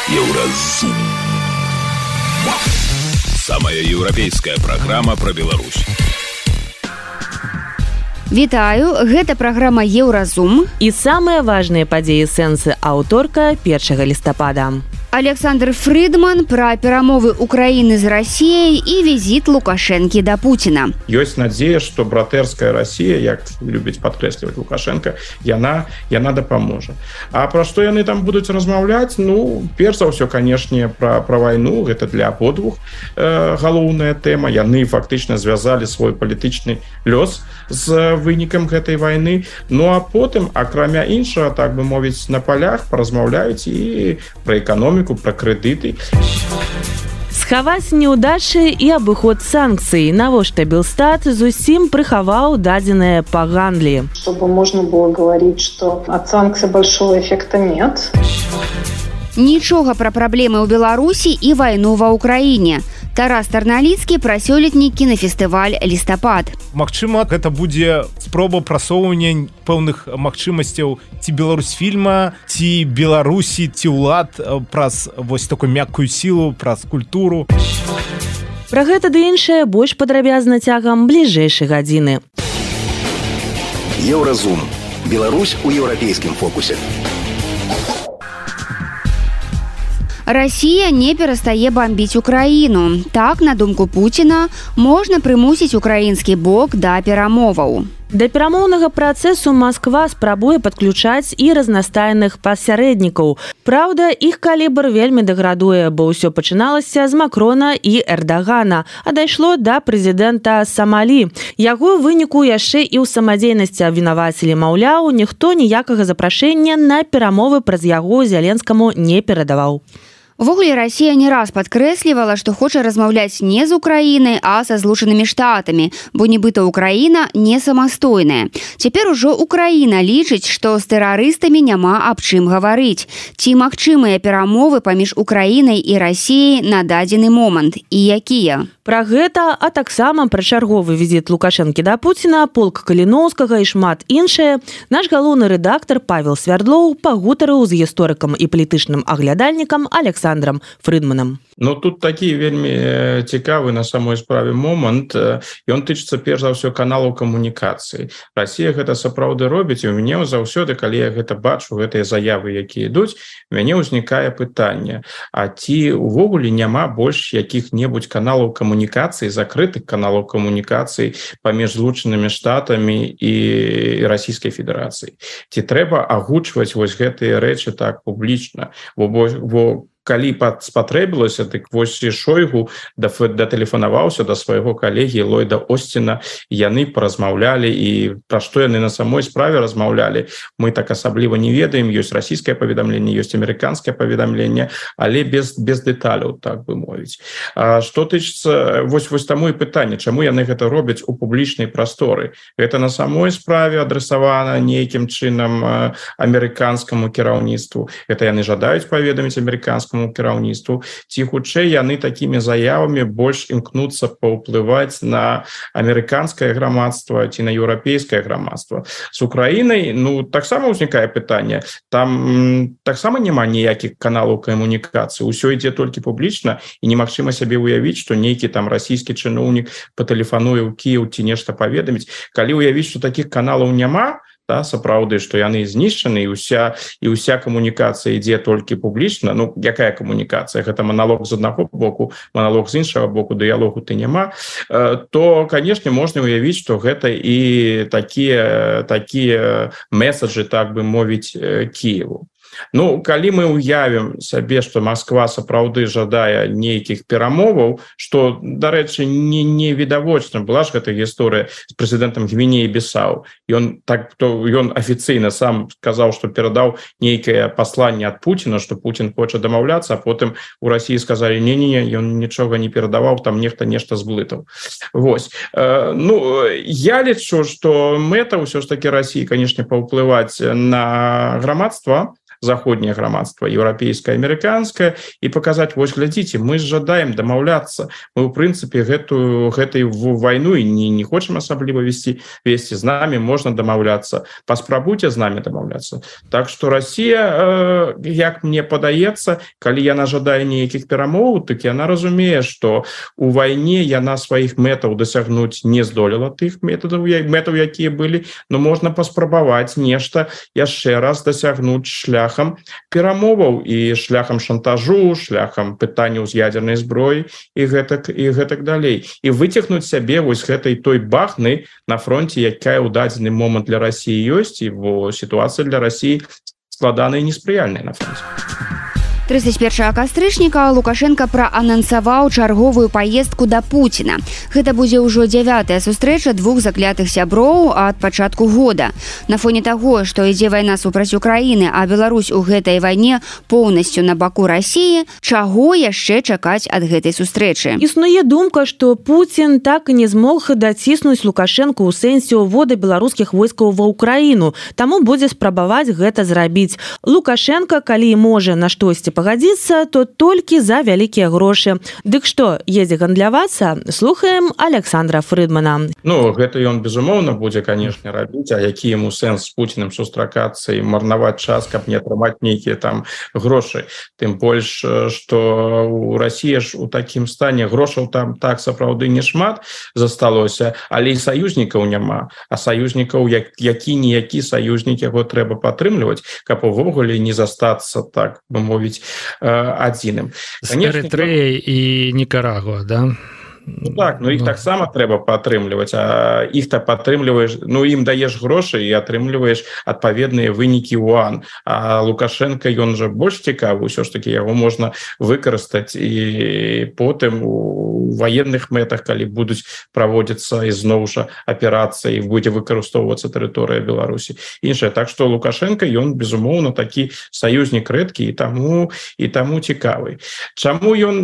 Еўразум. Самая еўрапейская праграма пра Беларусь. Вітаю, гэта праграма Еўразум. І самыя важныя падзеі сэнсы аўторка 1 лістапада. Александр Фридман пра перамовы Украіны з Расіяй і візіт Лукашэнкі да Пуціна. Ёсць надзея, што братэрская Расія, як любіць падкрэсліваць Лукашенко, яна дапаможа. А пра што яны там будуць размаўляць? Ну, перш за ўсё, канешне, пра вайну, гэта для абодвух галоўная тэма. Яны фактычна звязалі свой палітычны лёс з вынікам гэтай вайны. Ну а потым, акрамя іншага, так бы мовіць, на палях паразмаўляюць і пра эканоміку, про крэдыты. Схаваць няўдачы і абыход санкцый. Навошта Белстат зусім прыхаваў дадзеныя па гандлі. Чтобы можно было говорить, что от санкций большого эффекта нет. Нічога пра праблемы ў Беларусі і вайну ва Ўкраіне. Тарас Тарналіцкі пра сёлетні кінафестываль «Лістапад». Магчыма, гэта будзе спроба прасоўвання пэўных магчымасцяў ці Беларусьфільма, ці Беларусі, ці ўлад праз вось такую мяккую сілу, праз культуру. Пра гэта ды іншае больш падрабязна цягам бліжэйшай гадзіны. Еўразум. Беларусь у еўрапейскім фокусе. Расія не перастае бамбіць Украіну. Так, на думку Пуціна, можна прымусіць украінскі бок да перамоваў. Да перамоўнага працэсу Масква спрабуе падключаць і разнастайных пасярэднікаў. Праўда, іх калібр вельмі дэградуе, бо ўсё пачыналася з Макрона і Эрдагана, а дайшло да прэзідэнта Самалі. Яго ў выніку яшчэ і ў самадзейнасці абвінавацілі, маўляў, ніхто ніякага запрашэння на перамовы праз яго Зяленскаму не перадаваў. Увогуле, Расія не раз падкрэслівала, што хоча размаўляць не з Украінай, а са Злучанымі Штатамі, бо нібыта Украіна не самастойная. Цяпер ужо Украіна лічыць, што з тэрарыстамі няма аб чым гаварыць. Ці магчымыя перамовы паміж Украінай і Расіяй на дадзены момант? І якія? Пра гэта, а таксама пра чарговы візіт Лукашэнкі да Пуціна, полк Каліноўскага і шмат іншае, наш галоўны рэдактар Павел Свярдлоў пагутарыў з гісторыкам і палітычным аглядальнікам Александром Фридманом. Ну, тут такі вельмі цікавы на самой справе момант. Ён тычыцца перш за ўсё каналаў камунікацыі. Расія гэта сапраўды робіць, і ў мяне заўсёды, калі я гэта бачу, гэтыя заявы, якія ідуць, у мяне ўзнікае пытанне: а ці ўвогуле няма больш якіх-небудзь каналаў камунікацыі, закрытых каналаў камунікацыі паміж Злучанымі Штатамі і Расійскай Федэрацыяй? Ці трэба агучваць вось гэтыя рэчы так публічна? Бо калі спатрэбілася, дык вось Шойгу датэлефанаваўся да свайго калегі Ллойда Осціна, яны паразмаўлялі, і пра што яны на самой справе размаўлялі, мы так асабліва не ведаем. Ёсць расійскае паведамленне, ёсць амерыканскае паведамленне, але без дэталяў, так бы мовіць. Што тычыцца, вось таму і пытанне, чаму яны гэта робяць у публічнай прасторы? Гэта на самой справе адрасавана нейкім чынам амерыканскаму кіраўніцтву? Гэта яны жадаюць паведаміць амерыканскаму кіраўніцтву, ці хутчэй яны такімі заявамі больш імкнуцца паўплываць на амерыканскае грамадства ці на еўрапейскае грамадства? З Украінай, ну, таксама ўзнікае пытанне. Там таксама няма ніякіх каналаў камунікацыі, усё ідзе толькі публічна, і немагчыма сябе ўявіць, што нейкі там расійскі чыноўнік патэлефануе ў Кіеў ці нешта паведаміць. Калі ўявіць, што такіх каналаў няма, да, сапраўды, што яны знішчаны, і ўся камунікацыя ідзе толькі публічна. Ну, якая камунікацыя? Гэта маналог з аднаго боку, маналог з іншага боку, дыялогу ты няма. То, канешне, можна ўявіць, што гэта і такія месаджы, так бы мовіць, Кіеву. Ну, калі мы ўявім сабе, што Масква сапраўды жадае нейкіх перамоваў, што, дарэчы, не відавочна, была ж гэта гісторыя з прэзідэнтам Гвінеі Бісау. Ён афіцыйна сам сказаў, што перадаў нейкае пасланне ад Пуціна, што Пуцін хоча дамаўляцца, а потым у Расіі сказалі: не, ён нічога не перадаваў, там нешта зблытаў. Вось. Ну, я лічу, што мэта ўсё ж такі Расіі, канешне, паўплываць на грамадства, заходняе грамадства, еўрапейскае, амерыканскае, і паказаць: вось глядзіце, мы жадаем дамаўляцца, мы ў прынцыпе гэтай вайну і не хочам асабліва весці з намі, можна дамаўляцца, паспрабуйце з намі дамаўляцца. Так што Расія, як мне падаецца, калі яна жадае нейкіх перамоў, так яна разумее, што у вайне яна сваіх мэтаў дасягнуць не здолела, тых мэтаў, якія былі, но можна паспрабаваць нешта яшчэ раз дасягнуць шляхам перамоваў і шляхам шантажу, шляхам пытанняў з ядзернай зброі і гэтак далей. І выцягнуць сябе вось гэтай той бахны на фронте, якая ў дадзены момант для Расіі ёсць, і сітуацыя для Расіі складаная і неспрыяльная на фронте. 31 кастрычніка Лукашенко праанансаваў чарговую паездку да Пуціна. Гэта будзе ўжо 9-я сустрэча двух заклятых сяброў ад пачатку года. На фоне таго, што ідзе вайна супраць Украіны, а Беларусь у гэтай вайне поўнасцю на баку Расіі, чаго яшчэ чакаць ад гэтай сустрэчы? Існуе думка, што Пуцін так і не змог даціснуць Лукашенко ў сэнсе ўвода беларускіх войскаў ва Ўкраіну, таму будзе спрабаваць гэта зрабіць. Лукашенко, калі можа на штосьці пагадзіцца, то толькі за вялікія грошы. Дык што, едзе гандлявацца? Слухаем Александра Фрыдмана. Гэта ён, безумоўна, будзе, канешне, рабіць, а які яму сэнс з Пуціным сустракацца і марнаваць час, каб не атрымаць нейкія там грошы. Тым больш, што ў Расіі ж у такім стане грошаў там так сапраўды не шмат засталося, але і саюзнікаў няма. А саюзнікаў, які-ніякі саюзнік, яго трэба падтрымліваць, каб увогуле не застацца, так бы мовіць, адзіным. Эрытрэя і Нікарагуа, да? Так, іх таксама трэба падтрымліваць, а іх-то падтрымліваеш, ім даеш грошы і атрымліваеш адпаведныя вынікі УАН. А Лукашенко, ён жа больш цікавы, ўсё ж такі яго можна выкарыстаць і потым у ваенных мэтах, калі будуць праводзіцца ізноў жа аперацыі, будзе выкарыстоўвацца тэрыторыя Беларусі. Іншае, так што Лукашенко, ён, безумоўна, такі саюзнік рэдкі і таму цікавы. Чаму ён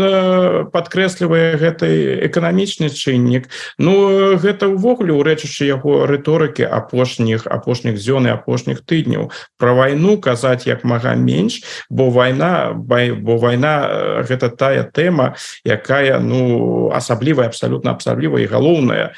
падкрэслівае гэтай эканамічны чыннік? Гэта ўвогуле ўрэчышча яго рыторыкі апошніх дзён і апошніх тыдняў. Пра вайну казаць як мага менш, бо вайна гэта тая тэма, якая асаблівая, абсалютна асаблівая і галоўная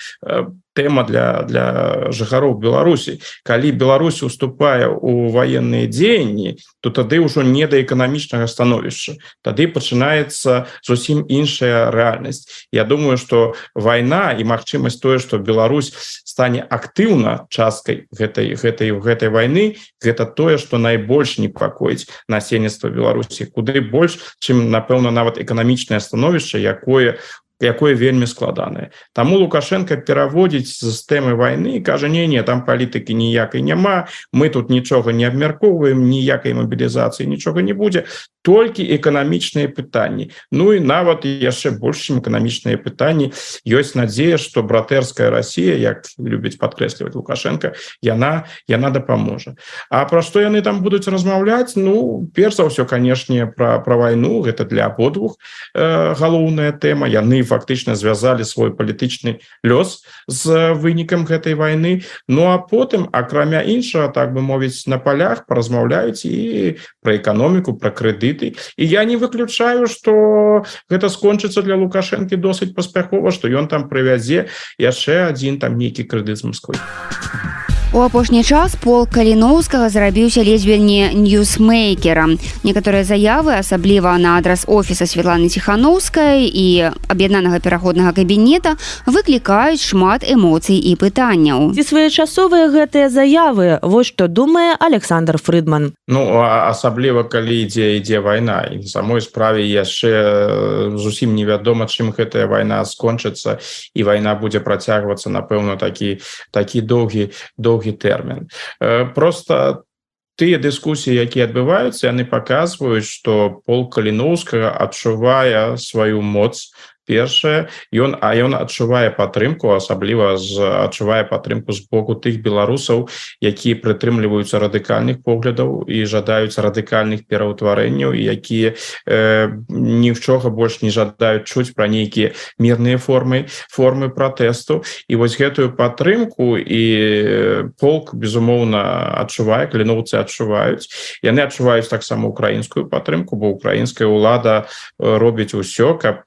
тэма для жыхароў Беларусі. Калі Беларусь уступае ў ваенныя дзеянні, то тады ўжо не да эканамічнага становішча. Тады пачынаецца зусім іншая рэальнасць. Я думаю, што вайна і магчымасць тое, што Беларусь стане актыўна часткай гэтай вайны, гэта тое, што найбольш непакоіць насельніцтва Беларусі. Куды больш, чым, напэўна, нават эканамічнае становішча, якое вельмі складанае. Таму Лукашенко пераводзіць з тэмы вайны і кажа: не, там палітыкі ніякай няма, мы тут нічога не абмяркоўваем, ніякай мабілізацыі нічога не будзе, толькі эканамічныя пытанні. І нават яшчэ больш, чым эканамічныя пытанні, ёсць надзея, што братэрская Расія, як любіць падкрэсліваць Лукашенко, яна дапаможа. А пра што яны там будуць размаўляць? Перш за ўсё, канешне, пра вайну, гэта для абодвух галоўная тэма. Яны фактычна звязалі свой палітычны лёс з вынікам гэтай вайны. А потым, акрамя іншага, так бы мовіць, на палях паразмаўляюць і пра эканоміку, пра крэдыты. І я не выключаю, што гэта скончыцца для Лукашэнкі досыць паспяхова, што ён там прывязе яшчэ адзін там нейкі крэдыт з Масквы. У апошні час полк Каліноўскага зрабіўся ледзьве не ньюсмейкерам. Некаторыя заявы, асабліва на адрас офіса Светланы Ціханаўскай і аб'яднанага пераходнага кабінета, выклікаюць шмат эмоцый і пытанняў. Ці своечасовыя гэтыя заявы? Вось што думае Александр Фрыдман. Асабліва, калі ідзе вайна. І на самой справе яшчэ зусім невядома, чым гэтая вайна скончыцца, і вайна будзе працягвацца, напэўна, такі доўгі тэрмін. Просто тыя дыскусіі, якія адбываюцца, яны паказваюць, што полк Каліноўскага адчувае сваю моц першае ён адчувае падтрымку, асабліва адчувае падтрымку з боку тых беларусаў, якія прытрымліваюцца радыкальных поглядаў і жадаюць радыкальных пераўтварэнняў, і якія нічога больш не жадаюць чуць пра нейкія мірныя формы пратэсту. І вось гэтую падтрымку і полк безумоўна адчувае, каліноўцы адчуваюць. Яны адчуваюць таксама украінскую падтрымку, бо украінская ўлада робіць усё, каб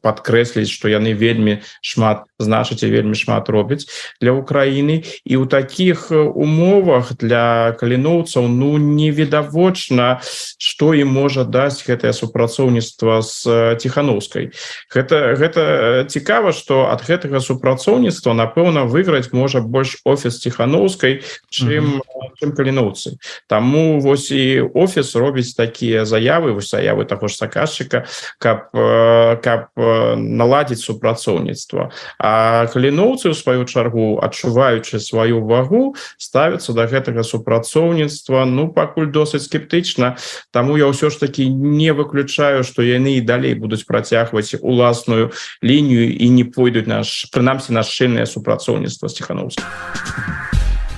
падкрэсліць, што яны вельмі шмат значаць і вельмі шмат робяць для Украіны. І ў такіх умовах для каліноўцаў невідавочна, што ім можа даць гэтае супрацоўніцтва з Ціхановскай. Гэта цікава, што ад гэтага супрацоўніцтва, напэўна, выйграць можа больш офіс Ціхановскай, чым каліноўцы. Таму вось і офіс робіць такія заявы таго ж заказчыка, каб наладзіць супрацоўніцтва. А каліноўцы, у сваю чаргу, адчуваючы сваю вагу, ставяцца да гэтага супрацоўніцтва, пакуль досыць скептычна. Таму я ўсё ж такі не выключаю, што яны і далей будуць працягваць уласную лінію і не пойдуць прынамсі на шчыльнае супрацоўніцтва з Ціхановскай.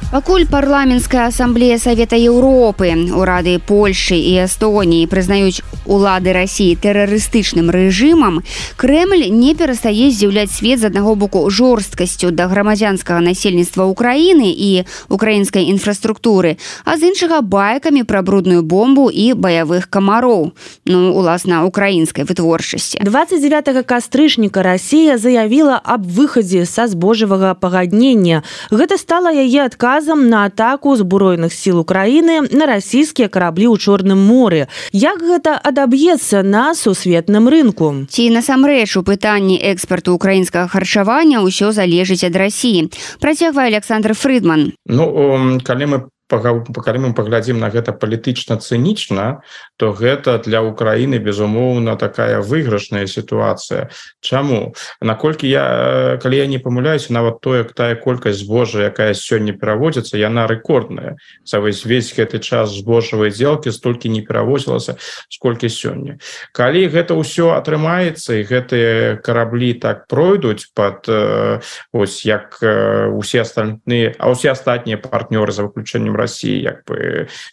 Пакуль парламенская асамблея Савета Еўропы, урады Польшы і Эстоніі прызнаюць улады Расіі тэрарыстычным рэжымам, Крэмль не перастае здзіўляць свет з аднаго боку жорсткасцю да грамадзянскага насельніцтва Украіны і украінскай інфраструктуры, а з іншага байкамі пра брудную бомбу і баявых камароў, уласна, украінскай вытворчасці. 29 кастрычніка Расія заявіла аб выхадзе са збожжавага пагаднення. Гэта стала яе адказам на атаку збройных сіл Украіны на расійскія караблі ў Чорным моры. Як гэта адаб'ецца на сусветным рынку? Ці насамрэч у пытанні экспарту украінскага харчавання ўсё залежыць ад Расіі? Працягвае Александр Фрыдман. Калі мы паглядзім на гэта палітычна-цынічна, то гэта для Украіны, безумоўна, такая выйгрышная сітуацыя. Чаму? Калі я не памыляюся, нават тая колькасць збожжа, якая сёння пераводзіцца, яна рэкордная. Весь гэты час збожжавай здзелкі столькі не перавозілася, сколькі сёння. Калі гэта ўсё атрымаецца і гэтыя караблі так пройдуць як усе астатнія партнёры за выключэннем Расіі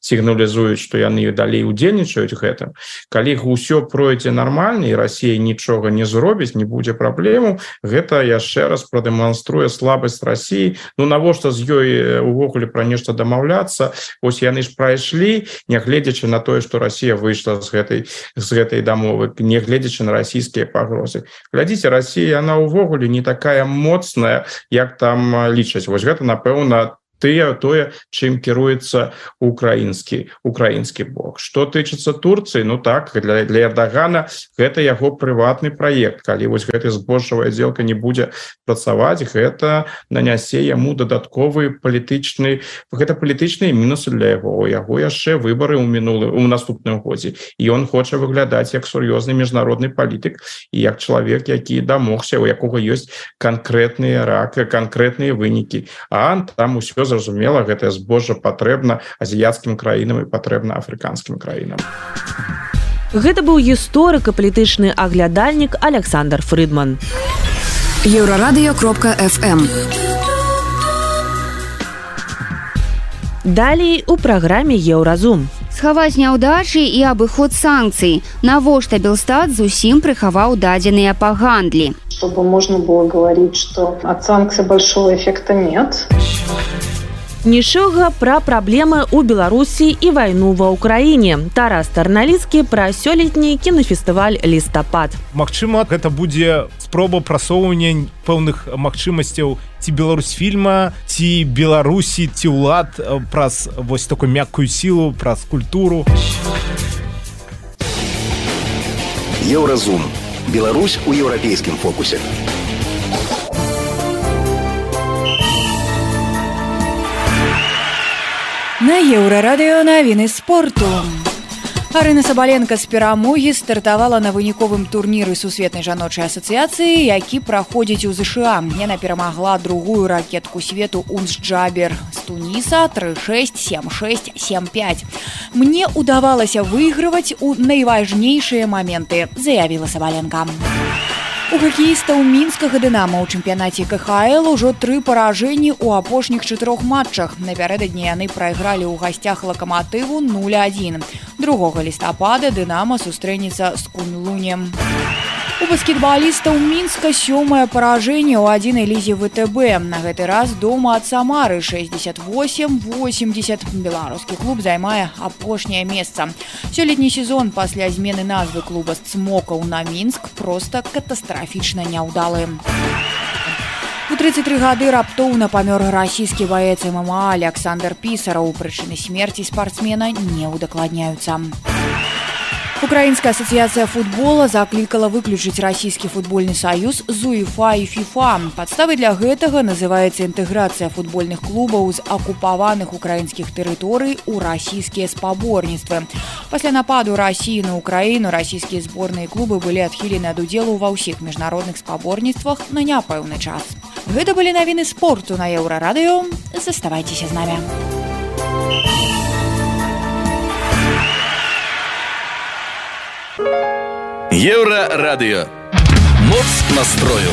сігналізуюць, што яны далей удзельнічаюць гэтым. Калі ўсё пройдзе нармальна і Расія нічога не зробіць, не будзе праблемаў, гэта яшчэ раз прадэманструе слабасць Расіі. Навошта з ёй увогуле пра нешта дамаўляцца? Вось яны ж прайшлі, нягледзячы на тое, што Расія выйшла з гэтай дамовы, нягледзячы на расійскія пагрозы. Глядзіце, Расія, яна ўвогуле не такая моцная, як там лічаць. Вось гэта, напэўна, тое, чым кіруецца украінскі бок. Што тычыцца Турцыі, для Эрдагана гэта яго прыватны праект. Калі вось гэта збожжавая здзелка не будзе працаваць, гэта нанясе яму дадатковыя палітычныя мінусы для яго. У яго яшчэ выбары ў наступным годзе. І ён хоча выглядаць як сур'ёзны міжнародны палітык і як чалавек, які дамогся, у якога ёсць канкрэтныя вынікі. А там усё зразумела, гэтае збожжа патрэбна азіяцкім краінам і патрэбна афрыканскім краінам. Гэта быў гісторык і палітычны аглядальнік Александр Фрыдман. Еўрарадыё.фм. Далей у праграме Еўразум. Схаваць няўдачы і абыход санкцый. Навошта Белстат зусім прыхаваў дадзеныя па гандлі? Чтобы можно было говорить, что от санкций большого эффекта нет. Нічога пра праблемы ў Беларусі і вайну ва Ўкраіне. Тарас Тарналіцкі пра сёлетні кінафестываль «Лістапад». Магчыма, гэта будзе спроба прасоўвання пэўных магчымасцяў ці беларусфільма, ці Беларусі, ці ўлад праз вось такую мяккую сілу, праз культуру. Еўразум. Беларусь у еўрапейскім фокусе. На Еўрарадыё навіны спорту. Арына Сабаленка з перамогі стартавала на выніковым турніры сусветнай жаночай асацыяцыі, які праходзіць у ЗША. Яна перамагла другую ракетку свету Унс Джабер з Туніса 3-6, 7-6, 7-5. Мне удавалася выйгрываць у найважнейшыя моменты, заявіла Сабаленка. У хакеістаў мінскага «Дынамо» ў чэмпіянаце КХЛ ужо 3 паражэнні ў апошніх 4 матчах. Напярэдадні яны прайгралі ў гасцях «Лакаматыву» 0-1. 2 лістапада «Дынамо» сустрэнецца з Куньлунем. У баскетбалістаў Мінска 7-е паражэнне ў 1 лізе ВТБ. На гэты раз дома ад Самары 68-80. Беларускі клуб займае апошняе месца. Сёлетні сезон пасля змены назвы клуба з Цмокаў на Мінск проста катастрафічна няўдалы. У 33 гады раптоўна памёр расійскі баец ММА Александр Пісараў. Прычыны смерці спартсмена не ўдакладняюцца. Украінская асацыяцыя футбола заклікала выключыць расійскі футбольны саюз з УЕФА і ФІФА. Падставай для гэтага называецца інтэграцыя футбольных клубаў з акупаваных украінскіх тэрыторый у расійскія спаборніцтвы. Пасля нападу Расіі на Украіну расійскія зборныя клубы былі адхілены ад удзелу ва ўсіх міжнародных спаборніцтвах на няпэўны час. Гэта былі навіны спорту на Еўрарадыё. Заставайцеся з намі. Еўрарадыё. Моц настрою.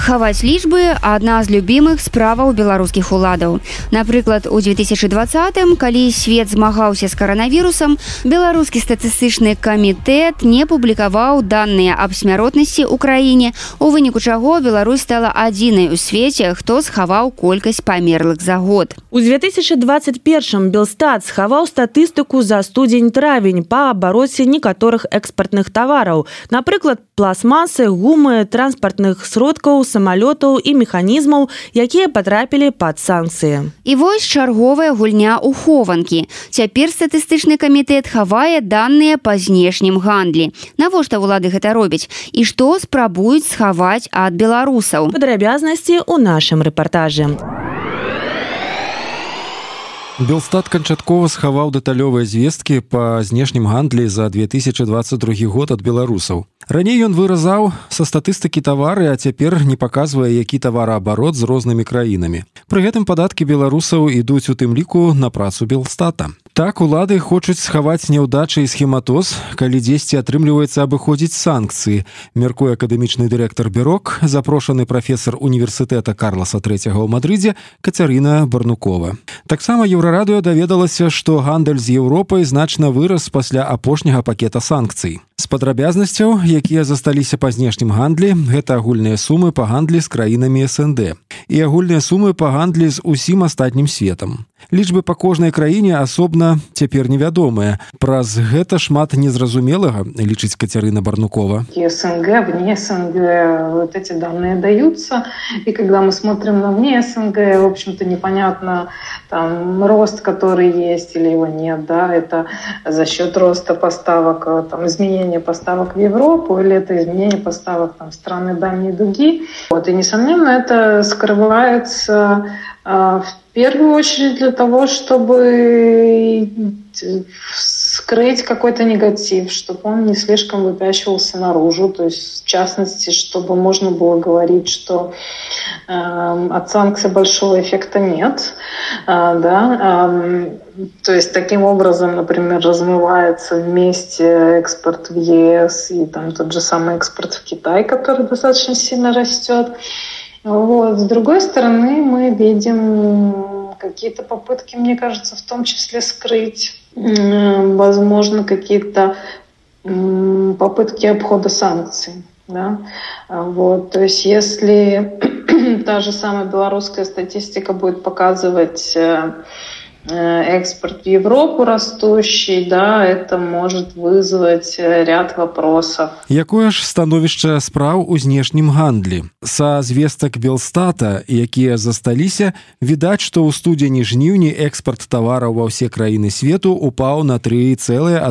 Хаваць лічбы – адна з любімых справаў беларускіх уладаў. Напрыклад, у 2020-м, калі свет змагаўся з каранавірусам, беларускі статыстычны камітэт не публікаваў даныя аб смяротнасці ў краіне, у выніку чаго Беларусь стала адзінай у свеце, хто схаваў колькасць памерлых за год. У 2021-м Белстат схаваў статыстыку за студзень-травень па абароце некаторых экспартных тавараў, напрыклад, пластмасы, гумы, транспартных сродкаў, самалётаў і механізмаў, якія патрапілі пад санкцыі. І вось чарговая гульня ў хованкі. Цяпер статыстычны камітэт хавае даныя па знешнім гандлі. Навошта ўлады гэта робяць? І што спрабуюць схаваць ад беларусаў? Падрабязнасці ў нашым рэпартажы. Белстат канчаткова схаваў дэталёвыя звесткі па знешнім гандлі за 2022 год ад беларусаў. Раней ён выразаў са статыстыкі тавары, а цяпер не паказвае, які тавараабарот з рознымі краінамі. Пры гэтым падаткі беларусаў ідуць у тым ліку на працу Белстата. Так, улады хочуць схаваць няўдачы і схематоз, калі дзесьці атрымліваецца абыходзіць санкцыі, мяркуе акадэмічны дырэктар Бюрок, запрошаны прафесар універсітэта Карласа III ў Мадрыдзе Кацярына Барнукова. Таксама Еўрарадыё даведалася, што гандаль з Еўропай значна вырас пасля апошняга пакета санкцый. З падрабязнасцяў, якія засталіся па знешнім гандлі, гэта агульныя сумы па гандлі з краінамі СНД і агульныя сумы па гандлі з усім астатнім светам. Лічбы па кожнай краіне асобна цяпер невядомыя. Праз гэта шмат незразумелага, лічыць Кацярына Барнукова. СНГ, вне СНГ, вот эти данные даются. И когда мы смотрим на вне СНГ, в общем-то, непонятно, там, рост, который есть или его нет, да, это за счет роста поставок, там, изменения поставок в Европу или это изменение поставок там, в страны дальней дуги. Вот, и, несомненно, это скрывается в первую очередь для того, чтобы скрыть какой-то негатив, чтобы он не слишком выпячивался наружу, то есть в частности, чтобы можно было говорить, что от санкций большого эффекта нет, то есть таким образом, например, размывается вместе экспорт в ЕС и там тот же самый экспорт в Китай, который достаточно сильно растет. Вот. С другой стороны, мы видим какие-то попытки, мне кажется, в том числе скрыть, возможно, какие-то попытки обхода санкций. Да? Вот. То есть если та же самая белорусская статистика будет показывать экспорт в Европу растущий, да, это может вызвать ряд вопросов. Якое ж становішча спраў у знешнім гандлі? Са звестак Белстата, якія засталіся, відаць, што ў студзені-жніўні экспарт тавараў ва ўсе краіны свету упаў на 3,1%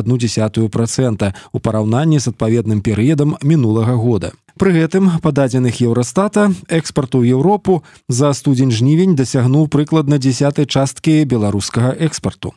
у параўнанні з адпаведным перыядам мінулага года. Пры гэтым, па дадзеных Еўрастата, экспарт у Еўропу за студзень-жнівень дасягнуў прыкладна 10 часткі беларускай беларускага экспарту.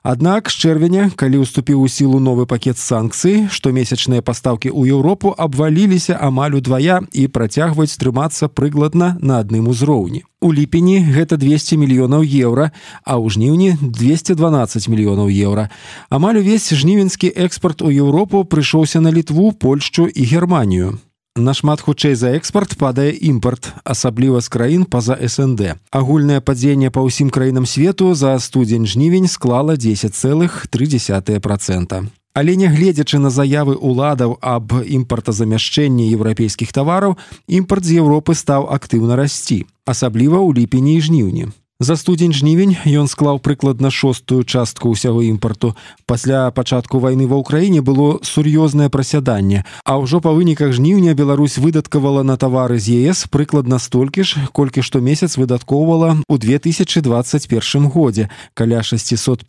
Аднак з чэрвеня, калі ўступіў у сілу новы пакет санкцый, штомесячныя пастаўкі ў Еўропу абваліліся амаль удвая і працягваюць трымацца прыкладна на адным узроўні. У ліпені гэта 200 мільёнаў еўра, а ў жніўні 212 мільёнаў еўра. Амаль увесь жнівеньскі экспарт у Еўропу прыйшоўся на Літву, Польшчу і Германію. Нашмат хутчэй за экспарт падае імпарт, асабліва з краін па-за СНД. Агульнае падзенне па ўсім краінам свету за студзень-жнівень склала 10,3%. Але нягледзячы на заявы ўладаў аб імпартазамяшчэнні еўрапейскіх тавараў, імпарт з Еўропы стаў актыўна расці, асабліва ў ліпені і жніўні. За студзень-жнівень ён склаў прыкладна 6-ую частку ўсяго імпарту. Пасля пачатку вайны ва ўкраіне было сур'ёзнае прасяданне, а ўжо па выніках жніўня Беларусь выдаткавала на тавары з ЕС прыкладна столькі ж, колькі штомесяц выдаткоўвала ў 2021 годзе, каля 650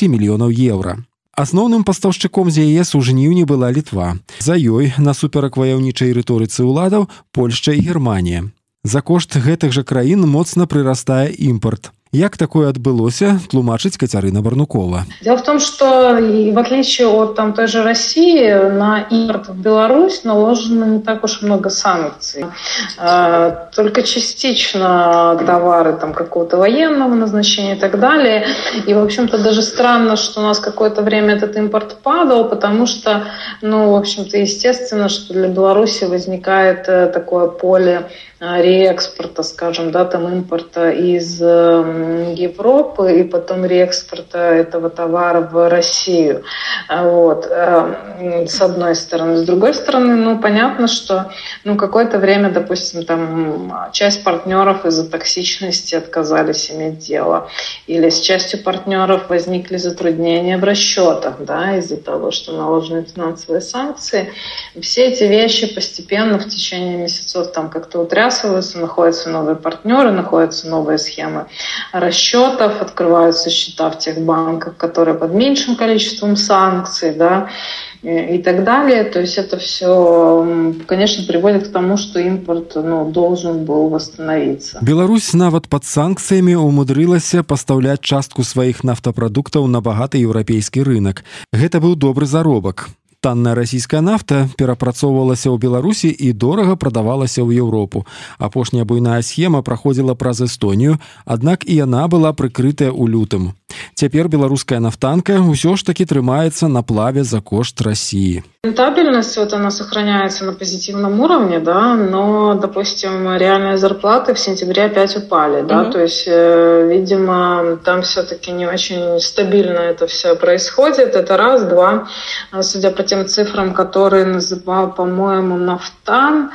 мільёнаў еўра. Асноўным пастаўшчыком з ЕС у жніўні была Літва. За ёй, насуперак ваяўнічай рыторыцы ўладаў, Польшча і Германія. За кошт гэтых жа краін моцна прырастае імпарт. Як такое отбылося, тлумачыць Кацярына Барнукова. Дело в том, что в отличие от той же России, на импорт в Беларусь наложено не так уж много санкций. Только частично товары какого-то военного назначения и так далее. И, в общем-то, даже странно, что у нас какое-то время этот импорт падал, потому что, в общем-то, естественно, что для Беларуси возникает такое поле реэкспорта, скажем, импорта из Европы и потом реэкспорта этого товара в Россию. С одной стороны. С другой стороны, понятно, что какое-то время, допустим, часть партнеров из-за токсичности отказались иметь дело. Или с частью партнеров возникли затруднения в расчетах, из-за того, что наложены финансовые санкции. Все эти вещи постепенно в течение месяцев как-то утрясываются, находятся новые партнеры, находятся новые схемы расчетов, открываются счета в тех банках, которые под меньшим количеством санкций, и так далее. То есть это все, конечно, приводит к тому, что импорт должен был восстановиться. Беларусь нават под санкцыямі умудрылася пастаўляць частку сваіх нафтапрадуктаў на багаты еўрапейскі рынок. Гэта быў добры заробак. Танная расійская нафта перапрацоўвалася ў Беларусі і дорага прадавалася ў Еўропу. Апошняя буйная схема праходзіла праз Эстонію, аднак і яна была прыкрытая ў лютым. Цяпер беларуская нафтанка ўсё ж таки трымаецца на плаве за кошт России. Рентабельность она сохраняется на позитивном уровне, но, допустим, реальные зарплаты в сентябре опять упали, то есть, видимо, там все-таки не очень стабильно это все происходит, это раз, два, судя по тем цифрам, которые называл, по-моему, Нафтан,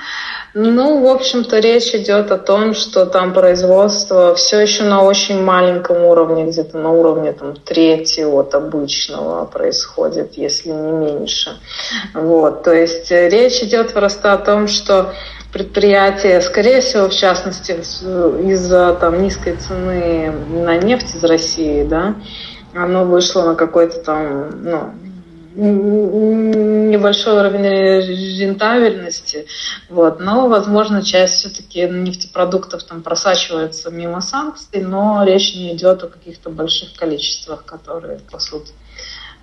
в общем-то, речь идет о том, что там производство все еще на очень маленьком уровне, где-то на уровне трети от обычного происходит, если не меньше. То есть речь идет просто о том, что предприятие, скорее всего, в частности, из-за низкой цены на нефть из России, оно вышло на какой-то небольшой уровень рентабельности, но, возможно, часть все-таки нефтепродуктов просачивается мимо санкций, но речь не идет о каких-то больших количествах, которые пасут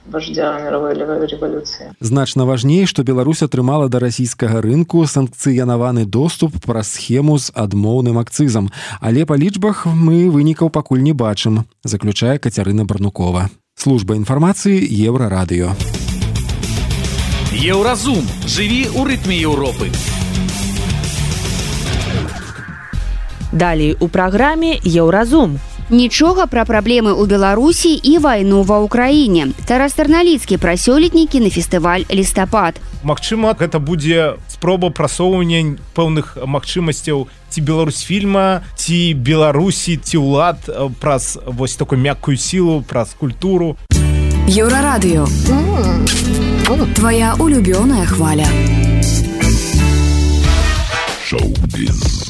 вождя мировой революции. Значна важней, што Беларусь атрымала да расійскага рынку санкцыянаваны доступ праз схему з адмоўным акцызам, але па лічбах мы вынікаў пакуль не бачым, заключае Кацярына Барнукова. Служба інфармацыі Еўрарадыё. Еўразум. Жыві ў рытме Еўропы. Далей у праграме Еўразум. Нічога пра праблемы ў Беларусі і вайну ва ўкраіне. Тарас Тарналіцкі пра сёлетнікі на фестываль «Лістапад». Магчыма, гэта будзе спроба прасоўвання пэўных магчымасцяў ці беларусфільма, ці Беларусі, ці ўлад праз такую мяккую сілу, праз культуру. Еўрарадыё. Твоя улюбёная хваля. Шоу-біз.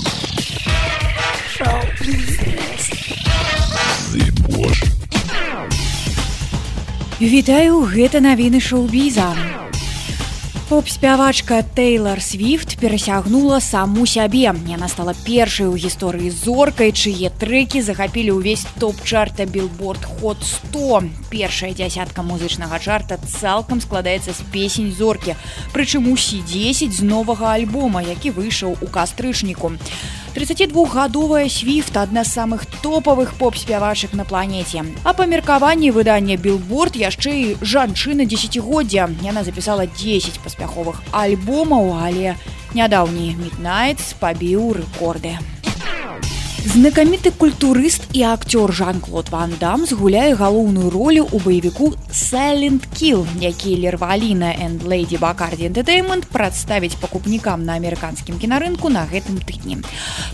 Вітаю, гэта навіны шоу-біза. Поп-спявачка Тэйлар Свіфт перасягнула саму сябе. Яна стала першай у гісторыі зоркай, чые трэкі захапілі ўвесь топ-чарта Billboard Hot 100. Першая дзясятка музычнага чарта цалкам складаецца з песень зоркі, прычым усе 10 з новага альбома, які выйшаў у кастрычніку. 32-гадовая Свіфт – адна з самых топавых поп-спявачак на планеце. А па меркаванні выдання Billboard яшчэ і жанчына дзесяцігоддзя. Яна запісала 10 паспяховых альбомаў, але нядаўні Midnights пабіў рэкорды. Знакаміты культурыст і актёр Жан-Клод Ван Дам згуляе галоўную ролю ў баевіку Silent Kill, які Лерваліна and Lady Bacardi Entertainment прадставіць пакупнікам на амерыканскім кінарынку на гэтым тыдні.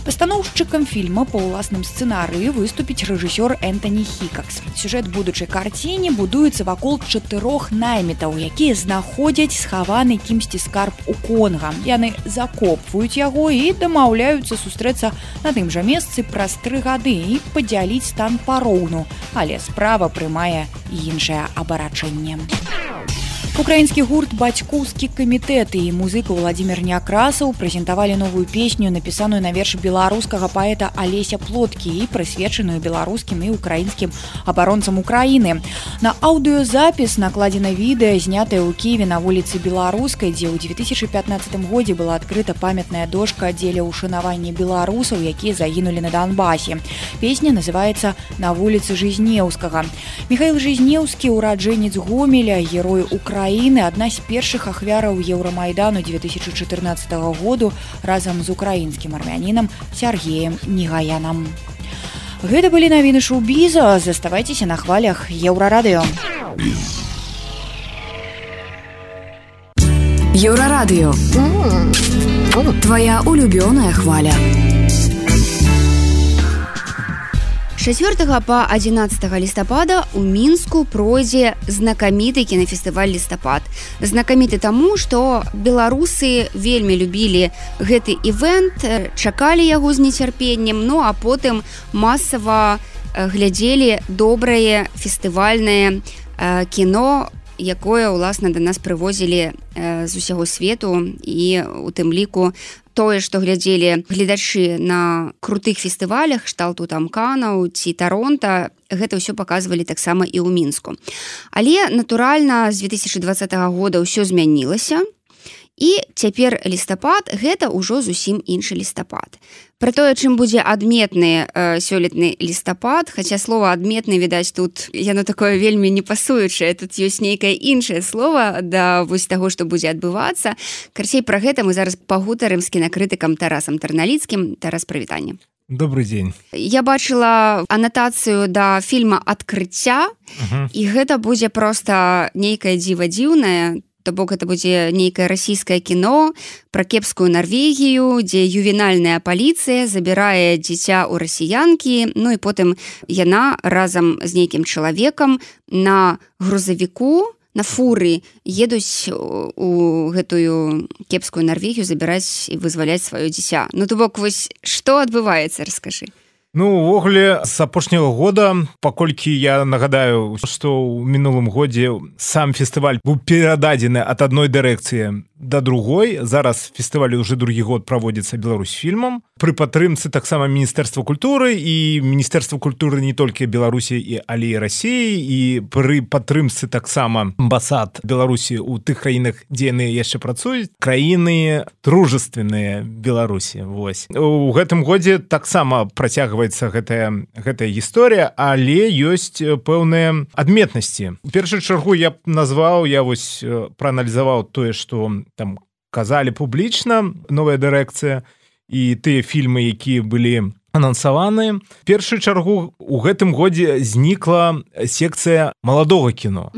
Пастаноўшчыкам фільма па ўласным сцэнарыі выступіць рэжысёр Энтані Хікакс. Сюжэт будучай карціне будуецца вакол 4 наймітаў, якія знаходзяць схаваны кімсьці скарб у Конга. Яны закопваюць яго і дамаўляюцца сустрэцца на тым жа месцы праз 3 гады і падзяліць стан пароўну, але справа прымае іншае абарачэнне. Украінскі гурт «Бацькоўскі камітэт» і музыка Владзімир Някрасаў прэзентавалі новую песню, напісаную на верш беларускага паэта Алеся Плоткі і прысвечаную беларускім і украінскім абаронцам Украіны. На аўдыёзапіс накладзена відэа, знятае ў Кіеве на вуліцы Беларускай, дзе ў 2015 годзе была адкрыта памятная дошка дзеля ўшанавання беларусаў, якія загінулі на Донбасе. Песня называецца «На вуліцы Жизнеўскага». Михаил Жизнеўскі, ураджэнец Гомеля, герой Украіны, адна з першых ахвяраў Еўрамайдану 2014 году разам з украінскім армянінам Сергеем Негаянам. Гэта былі навіны шоу-біза. Заставайцеся на хвалях Еўрарадыё. Еўрарадыё. Твоя улюбёная хваля. 4 па 11 лістапада ў Мінску пройдзе знакаміты кінафестываль «Лістапад». Знакаміты таму, што беларусы вельмі любілі гэты івэнт, чакалі яго з нецярпеннем, ну а потым масава глядзелі добрае фестывальнае кіно, якое, уласна, да нас прывозілі з усяго свету, і у тым ліку тое, што глядзелі гледачы на крутых фестывалях, кшталту там Канаў ці Таронта, гэта ўсё паказвалі таксама і ў Мінску. Але, натуральна, з 2020 года ўсё змянілася, і цяпер лістапад – гэта ўжо зусім іншы лістапад. Пра тое, чым будзе адметны сёлетны лістапад, хаця слова «адметны», відаць, тут яно такое вельмі непасуючае, тут ёсць нейкае іншае слова да вось таго, што будзе адбывацца. Карцей, пра гэта мы зараз пагутарым з кінакрытыкам Тарасам Тарналіцкім. Тарас, прывітанне. Добрый дзень. Я бачыла анатацыю да фільма «Адкрыцця», і гэта будзе проста нейкае дзіва дзіўнае. То бок это будзе нейкае расійскае кіно пра кепскую Нарвегію, дзе ювенальная паліцыя забірае дзіця ў расіянкі, ну і потым яна разам з нейкім чалавекам на грузавіку, на фуры едуць у гэтую кепскую Нарвегію забіраць і вызваляць сваё дзіця. Ну то бок вось што адбываецца, раскажы. Ну, увогуле, з апошняга года, паколькі я нагадаю, што ў мінулым годзе сам фестываль быў перададзены ад адной дырэкцыі да другой. Зараз фестываль уже другі год праводзіцца Беларусьфільмам. Пры падтрымцы таксама Міністэрства культуры і Міністэрства культуры не толькі Беларусі, але і Расіі, і пры падтрымцы таксама амбасад Беларусі ў тых краінах, дзе яны яшчэ працуюць, краіны дружественныя Беларусі. Вось. У гэтым годзе таксама працягваецца гэтая гісторыя, але ёсць пэўныя адметнасці. У першую чаргу я б назваў, я вось прааналізаваў тое, што там казалі публічна новая дырэкцыя і тыя фільмы, якія былі анансаваны. В першую чаргу у гэтым годзе знікла секцыя маладога кіно.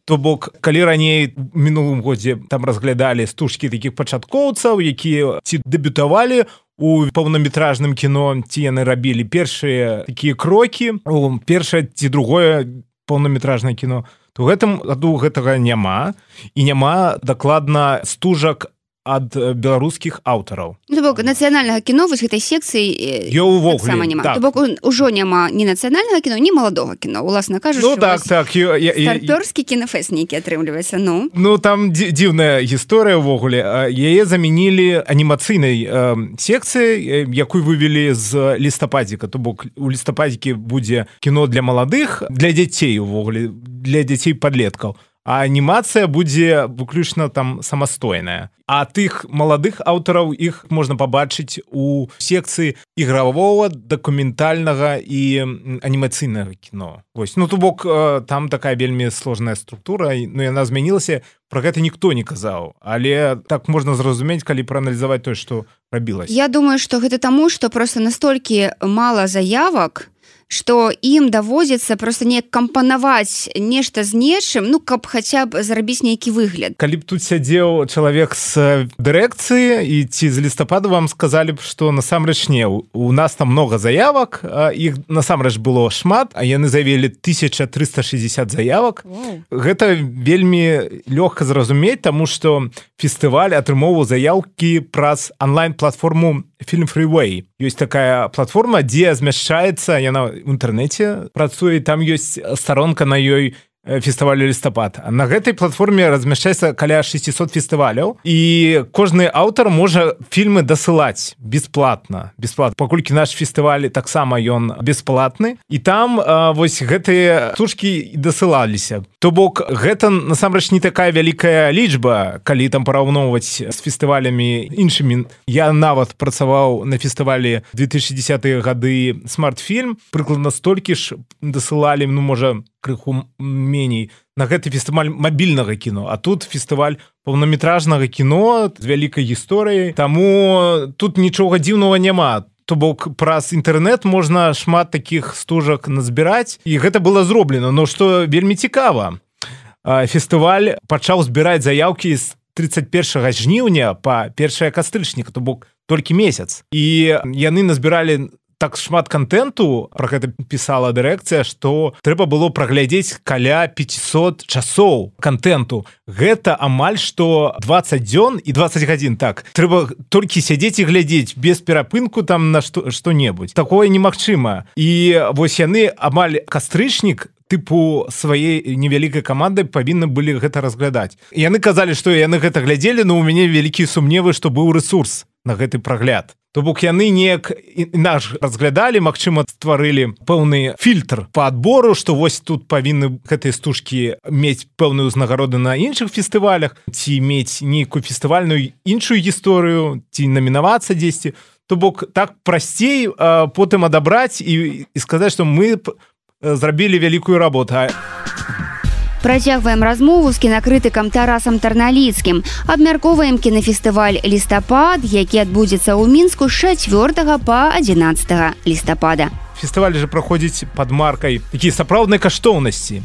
То бок, калі раней у мінулым годзе там разглядалі стужкі такіх пачаткоўцаў, якія ці дэбютавалі у паўнаметражным кіно, ці яны рабілі першыя такія крокі, першае ці другое паўнаметражнае кіно, то гэтым году гэтага няма, і няма дакладна стужак ад беларускіх аўтараў. То бок нацыянальнага кіно вось гэтай секцыі таксама няма. То бок ужо няма ні нацыянальнага кіно, ні маладога кіно, уласна кажучы. Ну так. Старпёрскі кінафэст нейкі атрымліваецца, ну. Ну там дзіўная гісторыя ўвогуле. Яе замянілі анімацыйнай секцыяй, якую вывелі з лістападзіка. То бок у лістападзікі будзе кіно для маладых, для дзяцей увогуле, для дзяцей-падлеткаў. А анімацыя будзе выключна там самастойная. А тых маладых аўтараў іх можна пабачыць у секцыі ігравого, дакументальнага і анімацыйнага кіно. Вось. Ну, то бок, там такая вельмі сложная структура, но яна змянілася, пра гэта ніхто не казаў. Але так можна зразумець, калі прааналізаваць тое, што рабілася. Я думаю, што гэта таму, што проста настолькі мала заявак, што ім даводзіцца проста неяк кампанаваць нешта з нечым, ну, каб хаця б зрабіць нейкі выгляд. Калі б тут сядзеў чалавек з дырэкцыі і ці з лістападу вам сказалі б, што насамрэч не, у нас там много заявак, іх насамрэч было шмат, а яны заявілі 1360 заявак. Гэта вельмі лёгка зразумець, таму што фестываль атрымоўваў заяўкі праз онлайн-платформу Film Freeway. Ёсць такая платформа, дзе змяшчаецца, яна в інтэрнэце працуе, там ёсць старонка на ёй фестывалю лістапад. На гэтай платформе размяшчаецца каля 600 фестываляў, і кожны аўтар можа фільмы дасылаць бесплатна. Паколькі наш фестываль таксама ён бесплатны, і там вось гэтыя штучкі дасылаліся. То бок гэта насамрэч не такая вялікая лічба, калі там параўноўваць з фестывалямі іншымі. Я нават працаваў на фестывалі 2010-е гады смарт-фільм, прыкладна столькі ж дасылалі, ну, можа, крыху меней, на гэты фестываль мабільнага кіно, а тут фестываль паўнаметражнага кіно з вялікай гісторыяй, таму тут нічога дзіўнага няма. То бок праз інтэрнэт можна шмат такіх стужак назбіраць, і гэта было зроблена. Но што вельмі цікава, фестываль пачаў збіраць заяўкі з 31 жніўня па 1 кастрычніка, то бок толькі месяц. І яны назбіралі так шмат контенту, про гэта пісала дырэкцыя, што трэба было праглядзець каля 500 часоў контенту. Гэта амаль што 20 дзён і 20 гадзін. Так, трэба толькі сядзець і глядзець без перапынку там на што-небудзь. Такое немагчыма. І вось яны амаль кастрычнік тыпу сваей невялікай камандай павінны былі гэта разглядаць. Яны казалі, што яны гэта глядзелі, но у мяне вялікія сумневы, што быў рэсурс на гэты прагляд. То бок яны неяк наш разглядалі, магчыма, стварылі пэўны фільтр па адбору, што вось тут павінны гэтыя стужкі мець пэўную ўзнагароду на іншых фестывалях, ці мець нейкую фестывальную іншую гісторыю, ці намінавацца дзесьці. То бок так прасцей потым адабраць і сказаць, што мы зрабілі вялікую работу. Працягваем размову з кінакрытыкам Тарасам Тарналіцкім. Абмяркоўваем кінафестываль «Лістапад», які адбудзецца ў Мінску з 4 па 11 лістапада. Фестываль жа праходзіць пад маркай такія сапраўднай каштоўнасці.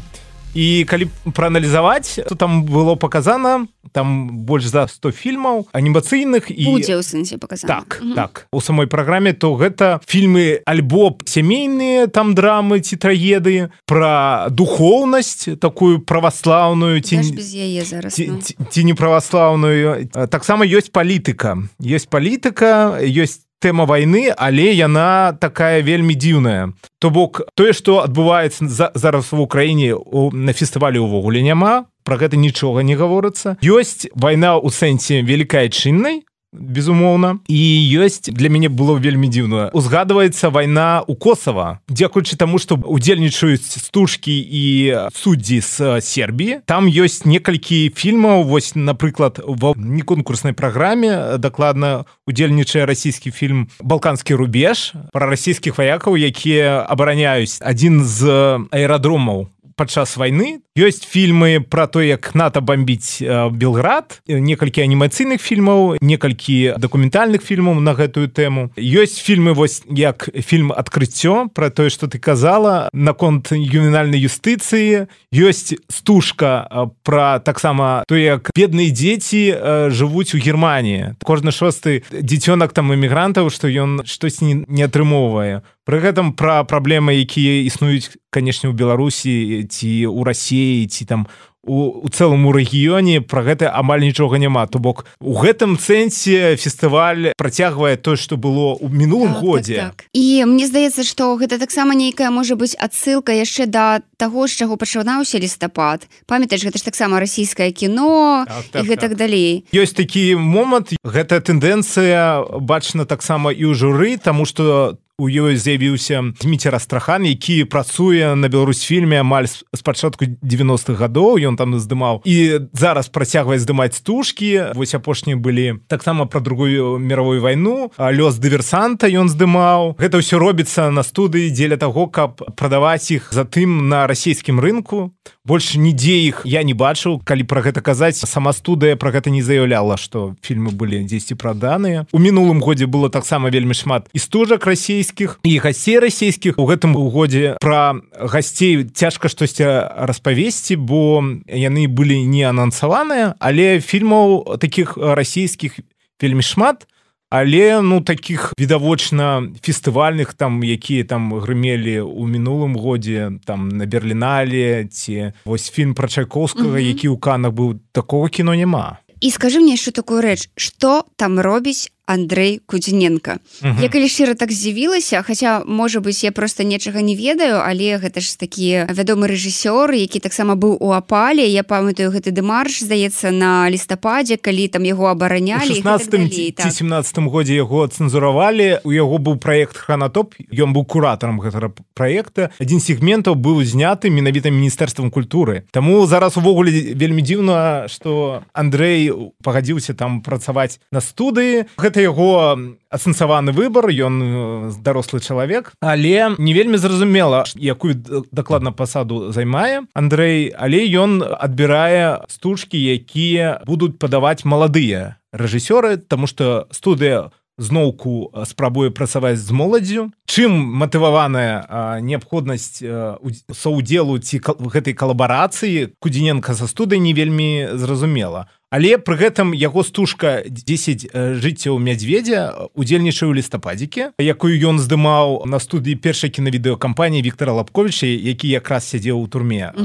І калі прааналізаваць, то там было паказана, там больш за 100 фільмаў анімацыйных. Будзе ў сэнсе паказана. Так. У самой праграме, то гэта фільмы альбо сямейныя, там драмы ці трагедыі, пра духоўнасць, такую праваслаўную, ці не праваслаўную. Таксама ёсць палітыка. Ёсць тэма вайны, але яна такая вельмі дзіўная. То бок, тое, што адбываецца зараз в Украіне на фестывалі ўвогуле няма, пра гэта нічога не гаворыцца. Ёсць вайна ў сэнсе велікай-айчыннай, безумоўна, і ёсць, для мяне было вельмі дзіўна, узгадваецца вайна ў Косава, дзякуючы таму, што удзельнічаюць стужкі і суддзі з Сербіі. Там ёсць некалькі фільмаў, вось, напрыклад, ва неконкурснай праграме дакладна удзельнічае расійскі фільм «Балканскі рубеж» пра расійскіх ваякаў, якія абараняюць адзін з аэрадромаў падчас вайны. Ёсць фільмы пра то, як НАТО бомбіць Белград, некалькі анімацыйных фільмаў, некалькі дакументальных фільмаў на гэтую тэму. Ёсць фільмы, вось як фільм «Адкрыццё», пра тое, што ты казала, наконт ювенальнай юстыцыі. Ёсць стужка пра таксама то, як бедныя дзеці жывуць у Германіі. Кожны шосты дзіцёнак там эмігрантаў, што ён штосьці не атрымоўвае. Пры гэтым пра праблемы, якія існуюць, канешне, у Беларусі ці ў Расіі, ці там у цэлым рэгіёне пра гэта амаль нічога няма. То бок у гэтым сэнсе фестываль працягвае тое, што было ў мінулым годзе. Так. І мне здаецца, што гэта таксама нейкая можа быць адсылка яшчэ да таго, з чаго пачынаўся лістапад. Памятаеш, гэта ж таксама расійскае кіно і гэтак далей. Ёсць такі момант, гэтая тэндэнцыя бачна таксама і ў журы, таму што у ёй з'явіўся Дміцер Астрахан, які працуе на Беларусьфільме амаль з пачатку 90-х гадоў, ён там здымаў і зараз працягвае здымаць стужкі. Вось апошнія былі таксама пра другую мировую вайну, лёс дыверсанта ён здымаў. Гэта ўсё робіцца на студыі дзеля таго, каб прадаваць іх затым на расійскім рынку. Больш нідзе іх я не бачыў. Калі пра гэта казаць, сама студыя пра гэта не заяўляла, што фільмы былі дзесьці праданыя. У мінулым годзе было таксама вельмі шмат і стужак расійскіх, і гасцей расійскіх. У гэтым годзе пра гасцей цяжка штосьці распавесці, бо яны былі не анансаваныя, але фільмаў такіх расійскіх вельмі шмат. Але, такіх відавочна фестывальных, якія там грымелі ў мінулым годзе, там на Берлінале, ці вось фільм пра Чайковскага, які ў Канах быў, такого кіно няма. І скажы мне яшчэ такую рэч, што там робіць Андрэй Кудзіненка. Я калі шчыра так здзівілася, хаця, можа быць, я проста нечага не ведаю, але гэта ж такі вядомы рэжысёр, які таксама быў у Апале. Я памятаю гэты дэмарш, здаецца, на лістападзе, калі там яго абаранялі. У 16-м ці 17-м годзе яго цэнзуравалі. У яго быў праект «Хранатоп», ён быў куратарам гэтага праекта. Адзін з сегментаў быў зняты менавіта Міністэрствам культуры. Таму зараз увогуле вельмі дзіўна, што Андрэй пагадзіўся там працаваць на студыі. Гэта яго асэнсаваны выбар, ён дарослы чалавек, але не вельмі зразумела, якую дакладна пасаду займае Андрэй, але ён адбірае стужкі, якія будуць падаваць маладыя рэжысёры, таму што студыя зноўку спрабуе працаваць з моладдзю. Чым матываваная неабходнасць саўдзелу ці гэтай калабарацыі Кудзіненка са студыяй не вельмі зразумела. Але пры гэтым яго стужка 10 жыццяў мядзведзя удзельнічае ў лістападзікі, якую ён здымаў на студыі першай кінавідэакампаніі Віктара Лапковіча, які якраз сядзеў у турме.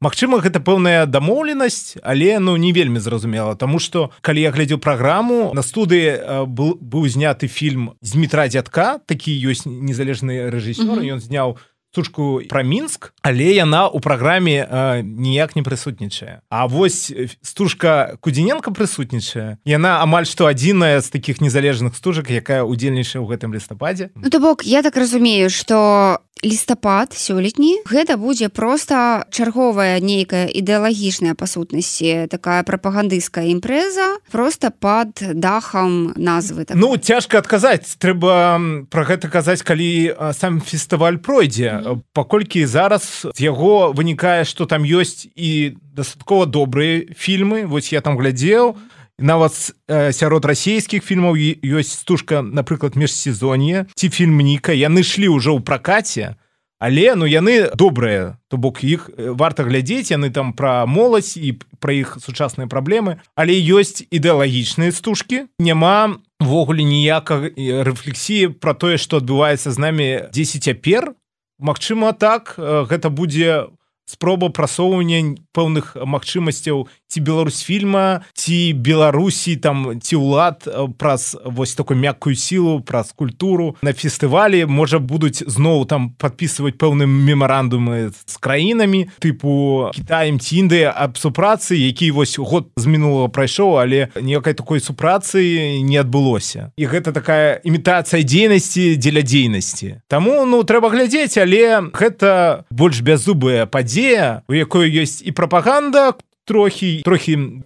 Магчыма, гэта пэўная дамоўленасць, але не вельмі зразумела, таму што калі я глядзеў праграму, на студыі быў зняты фільм Змітра Дзядка, такі ёсць незалежны рэжысёр, ён зняў стужку пра Мінск, але яна ў праграме ніяк не прысутнічае. А вось стужка Кудзіненка прысутнічае. Яна амаль што адзіная з такіх незалежных стужак, якая удзельнічае ў гэтым лістападзе. То бок, я так разумею, што лістапад сёлетні гэта будзе проста чарговая нейкая ідэалагічная па сутнасці такая прапагандысцкая імпрэза проста пад дахам назвы. Цяжка адказаць. Трэба пра гэта казаць, калі сам фестываль пройдзе. Паколькі зараз з яго вынікае, што там ёсць і дастаткова добрыя фільмы. Вось я там глядзеў. Нават сярод расійскіх фільмаў ёсць стужка, напрыклад, «Межсезонье» ці фільм «Ніка». Яны шлі ўжо ў пракаце, але яны добрыя. То бок іх варта глядзець, яны там пра моладзь і пра іх сучасныя праблемы. Але ёсць ідэалагічныя стужкі. Няма ввогуле ніякай рэфлексіі пра тое, што адбываецца з намі дзесь цяпер. Магчыма, так, гэта будзе спроба прасоўвання пэўных магчымасцяў ці Беларусьфільма, ці Беларусі, ці ўлад праз вось такую мяккую сілу, праз культуру. На фестывалі, можа, будуць зноў там падпісваць пэўныя мемарандумы з краінамі, тыпу Кітаем ці Індыя аб супрацы, які вось год з мінулага прайшоў, але ніякай такой супрацы не адбылося. І гэта такая імітацыя дзейнасці дзеля дзейнасці. Таму, трэба глядзець, але гэта больш бяззубая падзея, у якой ёсць і прапаганда, трохі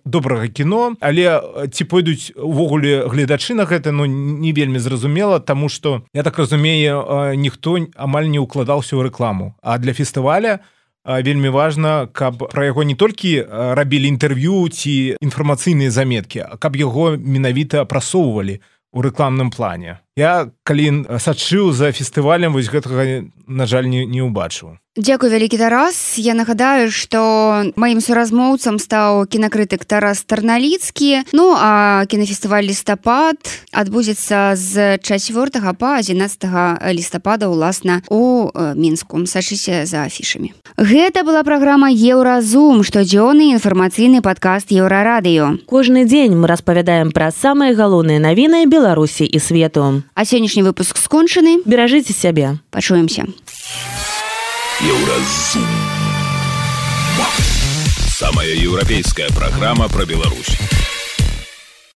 добрага кіно, але ці пойдуць увогуле гледачы на гэта, не вельмі зразумела, таму што, я так разумею, ніхто амаль не ўкладаўся ў рэкламу. А для фестываля вельмі важна, каб пра яго не толькі рабілі інтэрв'ю ці інфармацыйныя заметкі, а каб яго менавіта прасоўвалі ў рэкламным плане. Я калі сачыў за фестывалем, вось гэтага, на жаль, не ўбачыў. Дзякуй, вялікі Тарас. Я нагадаю, што маім суразмоўцам стаў кінакрытык Тарас Тарналіцкі. Ну, а кінафестываль «Лістапад» адбудзецца з 4 па 11 лістапада, уласна, у Мінску. Сачыце за афішамі. Гэта была праграма «Еўразум», штодзённы інфармацыйны падкаст Еўрарадыё. Кожны дзень мы распавядаем пра самыя галоўныя навіны Беларусі і свету. А сённяшні выпуск скончаны. Беражыце сябе. Пачуемся. Еўразум. Самая еўрапейская программа про Беларусь.